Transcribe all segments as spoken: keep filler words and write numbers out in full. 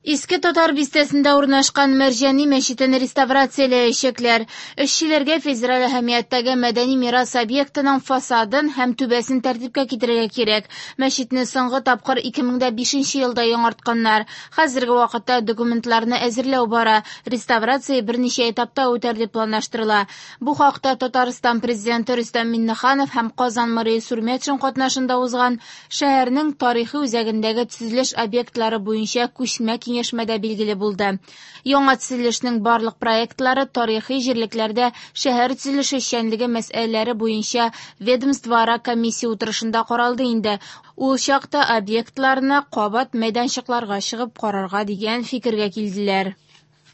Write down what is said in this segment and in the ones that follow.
Иске Татар бистәсендә урнашкан Мәрҗани мәчетен реставрацияләячәкләр. Эшчеләргә федераль әһәмияттәге мәдәни мирас объектының фасадын һәм түбәсен тәртипкә китерергә кирәк. Мәчетне соңгы тапкыр ике мең дә бишенче елда яңартканнар. Хәзерге вакытта документларны әзерләү бара. Реставрация берничә этапта үтәр дип планлаштырыла. Бу хакта Татарстан президенты Рөстәм Миңнеханов һәм Казан мэры Илсур Метшин катнашында узган шәһәрнең тарихи үзәгендәге төзелеш объектлары буенча күчмә киңәшмәдә билгеле булды. Яңа төзелешнең барлык проектлары тарихи җирлекләрдә шәһәр төзелеше эшчәнлеге мәсьәләләре буенча ведомствоара комиссия утырышында каралды инде. Ул чакта объектларны кабат мәйданчыкларга чыгып карарга дигән фикергә килделәр.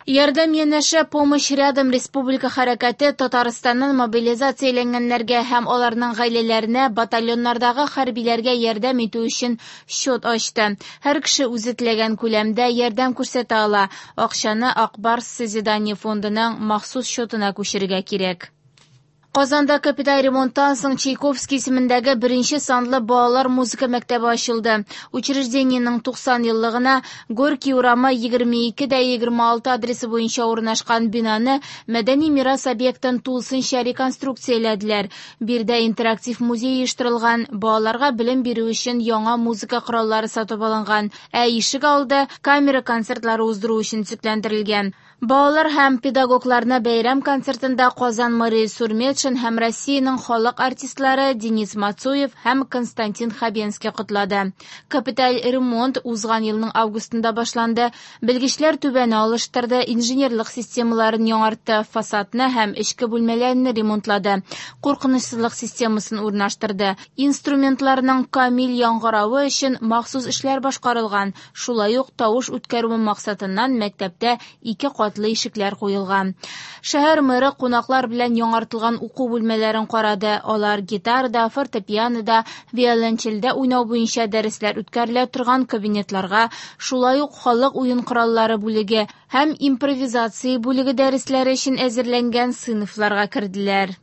Ярдәм янәшә Помощь рядом республика хәрәкәте Татарстаннан мобилизацияләнгәннәргә һәм аларның гаиләләренә батальоннардагы хәрбиләргә ярдәм итү өчен счет ачты. Һәр кеше үзе теләгән күләмдә ярдәм күрсәтә ала. Акчаны Ак Барс Созидание фондының махсус счетына күчерергә кирәк. Казанда капиталь ремонттан соң Чайковский исемендәге беренче санлы балалар музыка мәктәбе ачылды. Учреждениенең туксан еллыгына Горький урамы егерме ике дә егерме алты адресы буенча урнашкан бинаны мәдәни мирас объектын тулысынча реконструкцияләделәр. Биредә интерактив музей оештырылган, балаларга белем бирү өчен яңа музыка кораллары сатып алынган, ә ишек алды камера концертлары уздыру өчен төзекләндерелгән. Балалар һәм педагогларны бәйрәм концертында Казан мэры Илсур Метшин һәм Россиянең халык артистлары Денис Мацуев һәм Константин Хабенский котлады. Капиталь ремонт узган елның августында башланды. Белгечләр түбәне алыштырды, инженерлык системаларын яңартты, фасадны һәм эчке бүлмәләрне ремонтлады, куркынычсызлык системасын урнаштырды. Инструментларның камил яңгыравы өчен махсус эшләр башкарылган. Шулай ук тавыш үткәрү максатыннан мәктәптә ике кат катлы ишекләр куелган. Шәһәр мэры кунаклар белән яңартылган уку бүлмәләрен карады. Алар гитарада, фортепианода, виолончельдә уйнау буенча дәресләр үткәрелә торган кабинетларга, шулай ук халык уен кораллары бүлеге һәм импровизация бүлеге дәресләре өчен әзерләнгән сыйныфларга керделәр.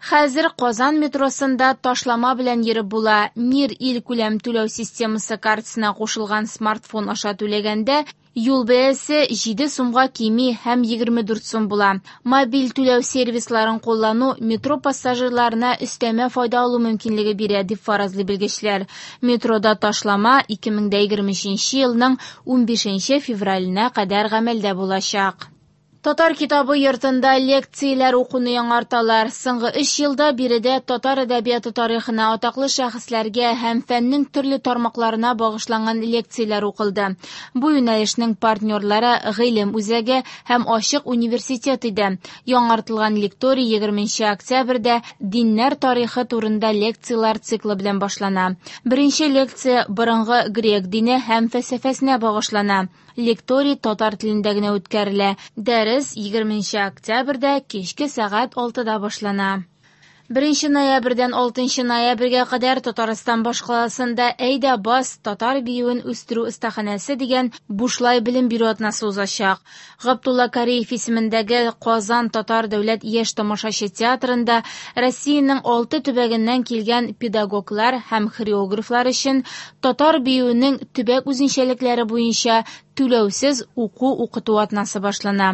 Хәзер Казан метросында ташлама белән йөреп була. Мир ил күләм түләү системасы картасына кушылган смартфон аша түләгәндә юл бәясе җиде сумга кими һәм егерме дүрт сум була. Мобиль түләү сервисларын куллану метро пассажирларына өстәмә файда алу мөмкинлеге бирә, дип фаразлый белгечләр. Метрода ташлама ике мең дә егерме өченче елның унбишенче февраленә кадәр гамәлдә булачак. Татар китабы йортында лекцияләр укуны яңарталар. Соңгы өч елда биредә татар әдәбияты тарихына, атаклы шәхесләргә һәм фәннең төрле тармакларына багышланган лекцияләр укылды. Бу юнәлешнең партнерлары Гыйлем үзәге һәм Ачык университет иде. Яңартылган лекторий егерменче октябрьдә диннәр тарихы турында лекцияләр циклы белән башлана. Беренче лекция борынгы грек дине һәм фәлсәфәсенә багышлана. Лекторий татар телендә генә үткәрелә. Дәрес егерменче октябрьдә кичке сәгать алтыда башлана. Беренче ноябрьдән алтынчы ноябрьгә кадәр Татарстан башкаласында Әйдә бас татар биюен үстерү остаханәсе дигән бушлай белем бирү атнасы узачак. Габдулла Кариев исемендәге Казан татар дәүләт яшь тамашачы театрында Россиянең алты төбәгеннән килгән педагоглар һәм хореографлар өчен татар биюенең төбәк үзенчәлекләре буенча түләүсез уку-укыту атнасы башлана.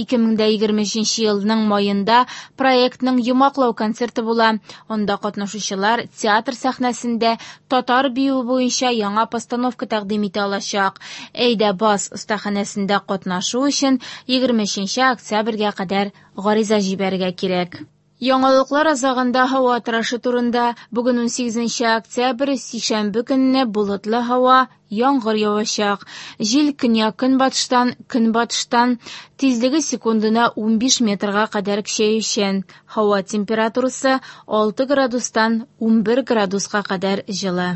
Ике мең дә егерме өченче елның майында проектның йомгаклау концерты була. Анда катнашучылар театр сәхнәсендә татар биюе буенча яңа постановка тәкъдим итә алачак. Әйдә бас остаханәсендә катнашу өчен егерме өченче октябрьгә кадәр гариза җибәрергә кирәк. Яңалыклар азагында һава торышы турында. Бүген унсигезенче октябрь, сишәмбе көнне болытлы һава, яңгыр явачак. Җил көньяк-көнбатыштан, көнбатыштан, тизлеге секундына унбиш метрга кадәр көчәючән. Һава температурасы алты градустан унбер градуска кадәр җылы.